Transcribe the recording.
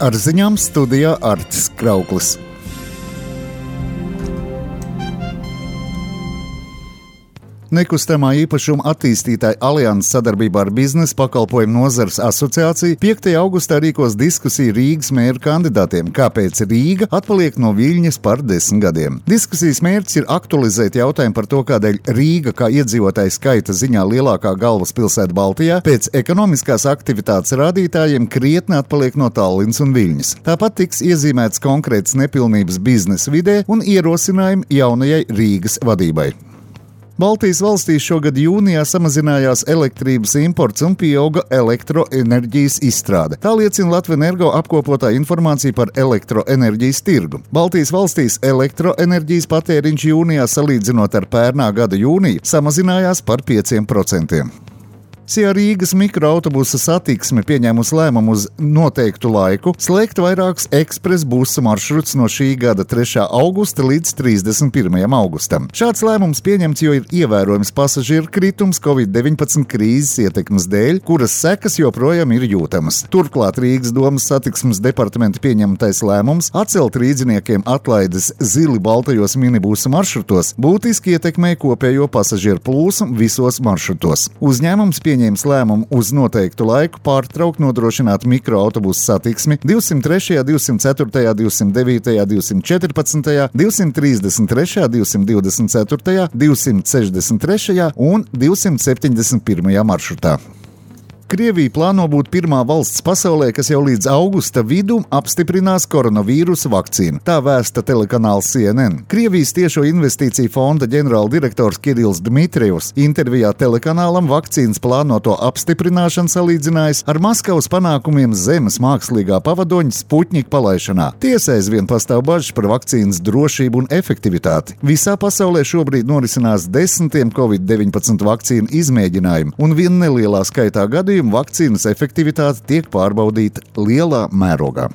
Ar ziņām studijā Artis Krauklis. Nekustamā īpašuma attīstītāja alianses sadarbībā ar Biznesa pakalpojumu nozares asociāciju 5. augustā rīkos diskusiju Rīgas mēra kandidātiem, kāpēc Rīga atpaliek no Viļņas par 10 gadiem. Diskusijas mērķis ir aktualizēt jautājumu par to, kādēļ Rīga kā iedzīvotāju skaita ziņā lielākā galvaspilsēta Baltijā pēc ekonomiskās aktivitātes rādītājiem krietni atpaliek no Tallinas un Viļņas. Tāpat tiks iezīmēts konkrētas nepilnības biznesa vidē un ierosinājumi jaunajai Rīgas vadībai. Baltijas valstīs šogad jūnijā samazinājās elektrības imports un pieauga elektroenerģijas izstrāde. Tā liecina Latvenergo apkopotā informācija par elektroenerģijas tirgu. Baltijas valstīs elektroenerģijas patēriņš jūnijā salīdzinot ar pērnā gada jūniju samazinājās par 5%. Sijā Rīgas mikroautobusa satiksme pieņēmusi lēmumu uz noteiktu laiku slēgt vairākus ekspresa busu maršrutus no šī gada 3. augusta līdz 31. augustam. Šāds lēmums pieņemts, jo ir ievērojams pasažieru kritums Covid-19 krīzes ietekmes dēļ, kuras sekas joprojām ir jūtamas. Turklāt Rīgas domas satiksmes departamenta pieņemtais lēmums atcelt rīdziniekiem atlaides zili baltajos minibusu maršrutos būtiski ietekmē kopējo pasažieru plūsmu visos maršrutos. Uzņēmums pieņēma lēmumu uz noteiktu laiku pārtraukt nodrošināt mikroautobusu satiksmi 203., 204., 209., 214., 233., 224., 263. un 271. maršrutā. Krievija plāno būt pirmā valsts pasaulē, kas jau līdz augusta vidum apstiprinās koronavīrusa vakcīnu. Tā vēsta telekanāls CNN. Krievijas tiešo investīciju fonda ģenerāldirektors Kirills Dmitrijevs intervijā telekanālam vakcīnas plānoto apstiprināšanu salīdzinājis ar Maskavas panākumiem zemes mākslīgā pavadoņa Sputņika palaišanā. Tiesa aizvien pastāv bažas par vakcīnas drošību un efektivitāti. Visā pasaulē šobrīd norisinās desmitiem Covid-19 vakcīnu izmēģinājumu, un vien nelielā skaitā gadījumu vakcīnas efektivitāte tiek pārbaudīta lielā mērogā.